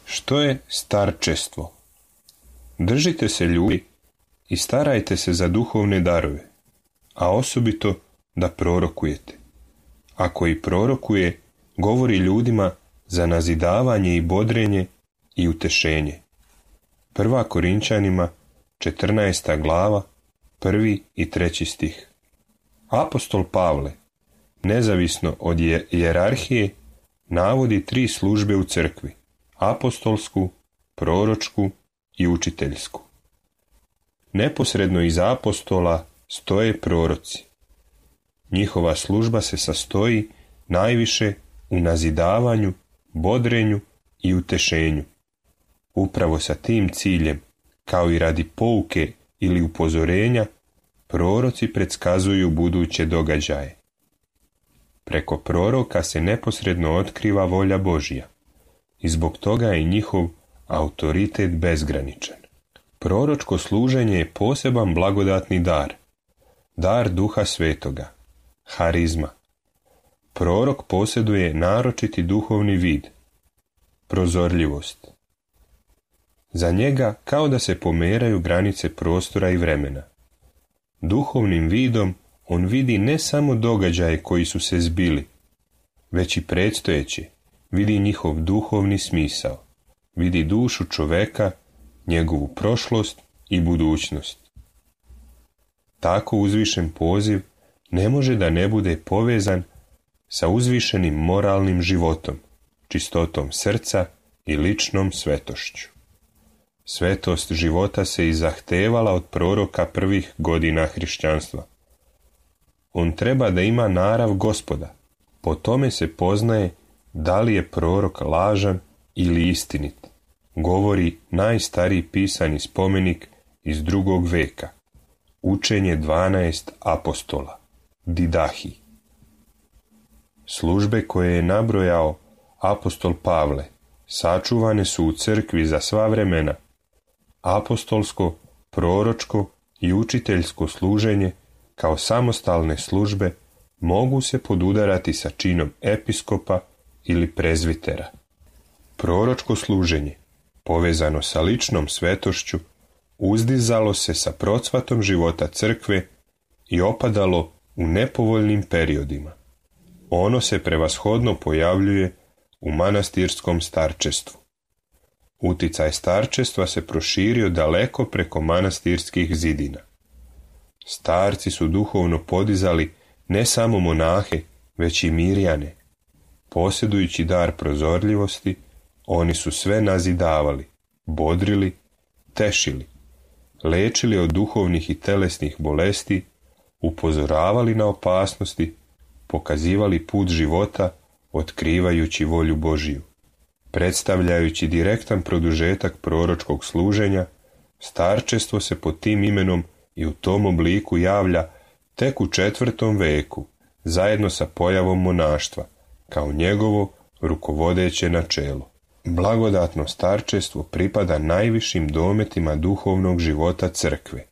Što je starčestvo? Držite se ljudi i starajte se za duhovne darove, a osobito da prorokujete. Ako i prorokuje, govori ljudima za nazidavanje i bodrenje i utešenje. 1. Korinčanima 14. glava, 1. i 3. stih. Apostol Pavle, nezavisno od hijerarhije, navodi 3 službe u crkvi: apostolsku, proročku i učiteljsku. Neposredno iza apostola stoje proroci. Njihova služba se sastoji najviše u nazidavanju, bodrenju i utešenju. Upravo sa tim ciljem, kao i radi pouke ili upozorenja, proroci predskazuju buduće događaje. Preko proroka se neposredno otkriva volja Božja i zbog toga je njihov autoritet bezgraničan. Proročko služenje je poseban blagodatni dar, dar Duha Svetoga, harizma. Prorok posjeduje naročiti duhovni vid, prozorljivost. Za njega kao da se pomeraju granice prostora i vremena. Duhovnim vidom on vidi ne samo događaje koji su se zbili, već i predstojeće, vidi njihov duhovni smisao, vidi dušu čoveka, njegovu prošlost i budućnost. Tako uzvišen poziv ne može da ne bude povezan sa uzvišenim moralnim životom, čistotom srca i ličnom svetošću. Svetost života se i zahtevala od proroka prvih godina hrišćanstva. On treba da ima narav Gospoda, po tome se poznaje da li je prorok lažan ili istinit, govori najstariji pisani spomenik iz 2. veka, učenje 12 apostola, Didahi. Službe koje je nabrojao apostol Pavle sačuvane su u crkvi za sva vremena. Apostolsko, proročko i učiteljsko služenje kao samostalne službe mogu se podudarati sa činom episkopa ili prezvitera. Proročko služenje, povezano sa ličnom svetošću, uzdizalo se sa procvatom života crkve i opadalo u nepovoljnim periodima. Ono se prevashodno pojavljuje u manastirskom starčestvu. Uticaj starčestva se proširio daleko preko manastirskih zidina. Starci su duhovno podizali ne samo monahe, već i mirjane. Posjedujući dar prozorljivosti, oni su sve nazidavali, bodrili, tešili, lečili od duhovnih i telesnih bolesti, upozoravali na opasnosti, pokazivali put života, otkrivajući volju Božiju. Predstavljajući direktan produžetak proročkog služenja, starčestvo se pod tim imenom i u tom obliku javlja tek u 4. veku, zajedno sa pojavom monaštva, kao njegovo rukovodeće načelo. Blagodatno starčestvo pripada najvišim dometima duhovnog života crkve.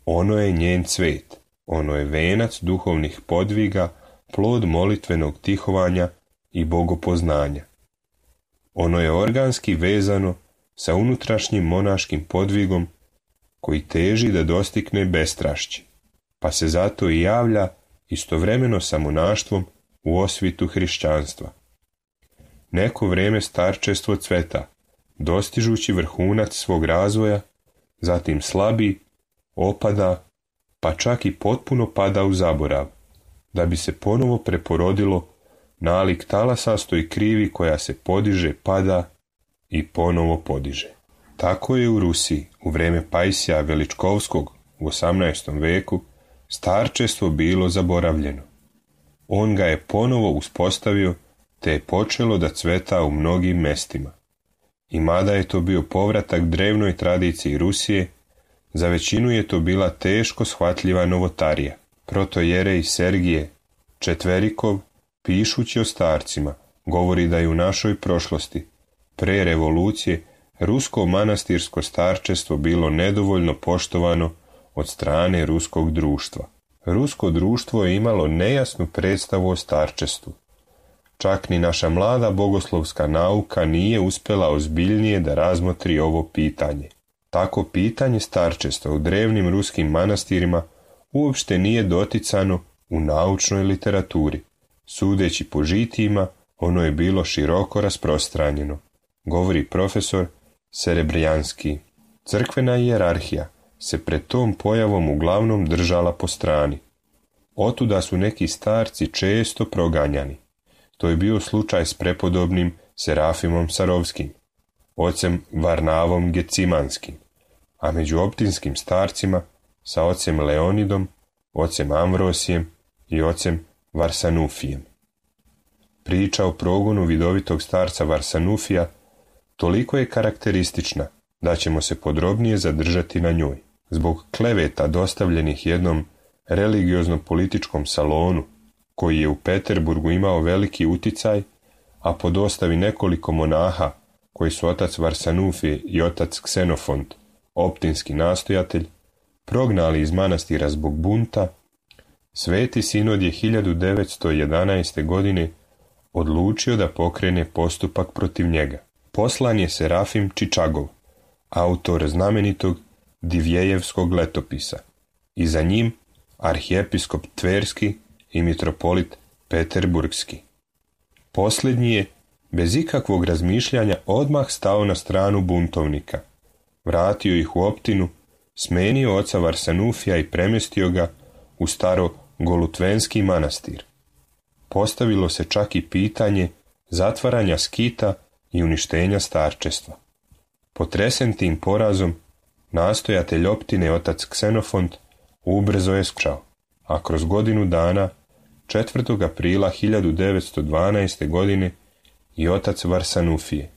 Ono je njen cvet, ono je venac duhovnih podviga, plod molitvenog tihovanja i bogopoznanja. Ono je organski vezano sa unutrašnjim monaškim podvigom koji teži da dostigne bestrašće, pa se zato i javlja istovremeno sa monaštvom u osvitu hrišćanstva. Neko vrijeme starčestvo cveta, dostižući vrhunac svog razvoja, zatim slabi, opada, pa čak i potpuno pada u zaborav, da bi se ponovo preporodilo nalik talasastoj krivi koja se podiže, pada i ponovo podiže. Tako je u Rusiji u vrijeme Pajsija Veličkovskog u 18. veku starčestvo bilo zaboravljeno. On ga je ponovo uspostavio te je počelo da cveta u mnogim mestima. I mada je to bio povratak drevnoj tradiciji Rusije, za većinu je to bila teško shvatljiva novotarija. Protojerej Sergije Četverikov, pišući o starcima, govori da je u našoj prošlosti, pre revolucije, rusko manastirsko starčestvo bilo nedovoljno poštovano od strane ruskog društva. Rusko društvo je imalo nejasnu predstavu o starčestvu. Čak ni naša mlada bogoslovska nauka nije uspjela ozbiljnije da razmotri ovo pitanje. Tako pitanje starčestva u drevnim ruskim manastirima uopšte nije doticano u naučnoj literaturi. Sudeći po žitijima, ono je bilo široko rasprostranjeno, govori profesor Serebrjanski. Crkvena hijerarhija se pred tom pojavom uglavnom držala po strani. Otuda su neki starci često proganjani. To je bio slučaj s prepodobnim Serafimom Sarovskim, ocem Varnavom Gecimanskim, a među optinskim starcima sa ocem Leonidom, ocem Amvrosijem i ocem Varsanufijem. Priča o progonu vidovitog starca Varsanufija toliko je karakteristična da ćemo se podrobnije zadržati na njoj. Zbog kleveta dostavljenih jednom religiozno-političkom salonu, koji je u Peterburgu imao veliki uticaj, a po dostavi nekoliko monaha, koji su otac Varsanufije i otac Ksenofont, optinski nastojatelj, prognali iz manastira zbog bunta, Sveti sinod je 1911. godine odlučio da pokrene postupak protiv njega. Poslan je Serafim Čičagov, autor znamenitog Divjejevskog letopisa, i za njim arhijepiskop Tverski i mitropolit Peterburgski. Posljednji je, bez ikakvog razmišljanja, odmah stao na stranu buntovnika, vratio ih u optinu, smenio oca Varsanufija i premjestio ga u staro Golutvenski manastir. Postavilo se čak i pitanje zatvaranja skita i uništenja starčestva. Potresen tim porazom, nastojatelj optine otac Ksenofont ubrzo je skčao, a kroz godinu dana, 4. aprila 1912. godine, i otac Varsanufije.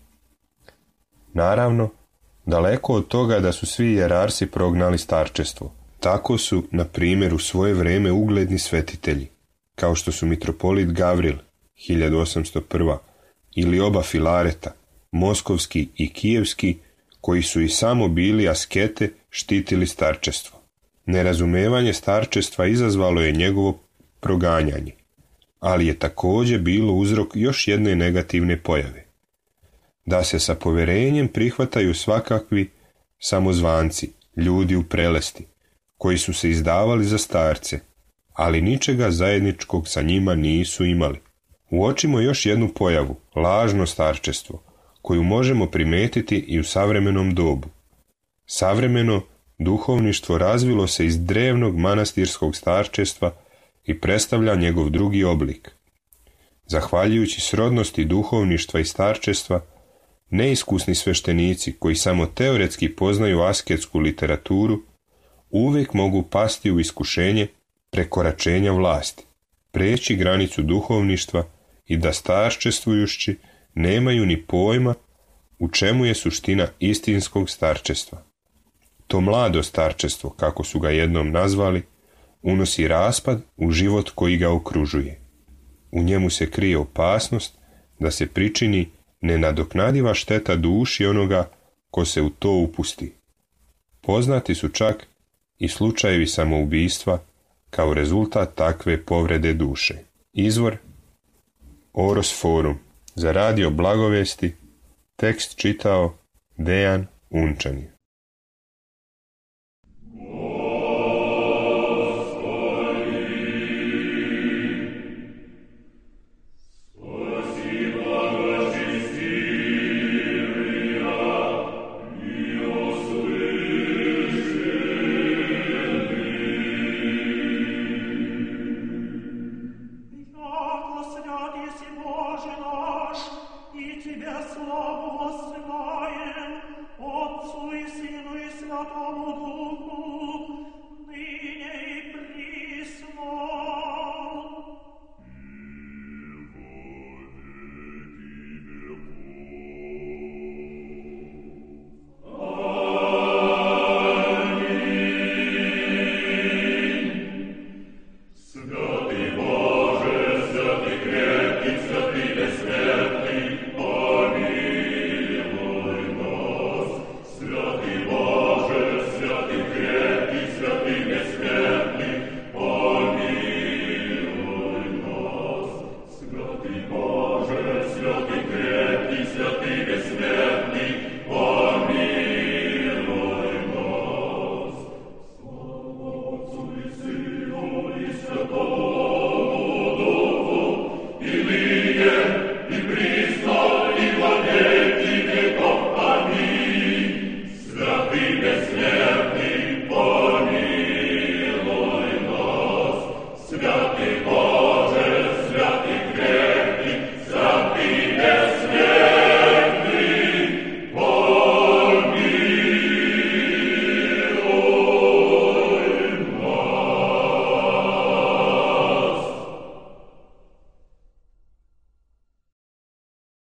Naravno, daleko od toga da su svi jerarsi prognali starčestvo. Tako su, na primjer, u svoje vrijeme ugledni svetitelji, kao što su mitropolit Gavril, 1801. ili oba Filareta, Moskovski i Kijevski, koji su i samo bili askete, štitili starčestvo. Nerazumevanje starčestva izazvalo je njegovo proganjanje, ali je također bilo uzrok još jedne negativne pojave. Da se sa povjerenjem prihvataju svakakvi samozvanci, ljudi u prelesti, koji su se izdavali za starce, ali ničega zajedničkog sa njima nisu imali. Uočimo još jednu pojavu, lažno starčestvo, koju možemo primetiti i u savremenom dobu. Savremeno duhovništvo razvilo se iz drevnog manastirskog starčestva i predstavlja njegov drugi oblik. Zahvaljujući srodnosti duhovništva i starčestva, neiskusni sveštenici koji samo teoretski poznaju asketsku literaturu uvijek mogu pasti u iskušenje prekoračenja vlasti, preći granicu duhovništva i da starčestvujući nemaju ni pojma u čemu je suština istinskog starčestva. To mlado starčestvo, kako su ga jednom nazvali, unosi raspad u život koji ga okružuje. U njemu se krije opasnost da se pričini nenadoknadiva šteta duši onoga ko se u to upusti. Poznati su čak i slučajevi samoubistva kao rezultat takve povrede duše. Izvor Oros Forum, za radio Blagovesti, tekst čitao Dejan Unčani. Отцу и Сыну и Святому Духу,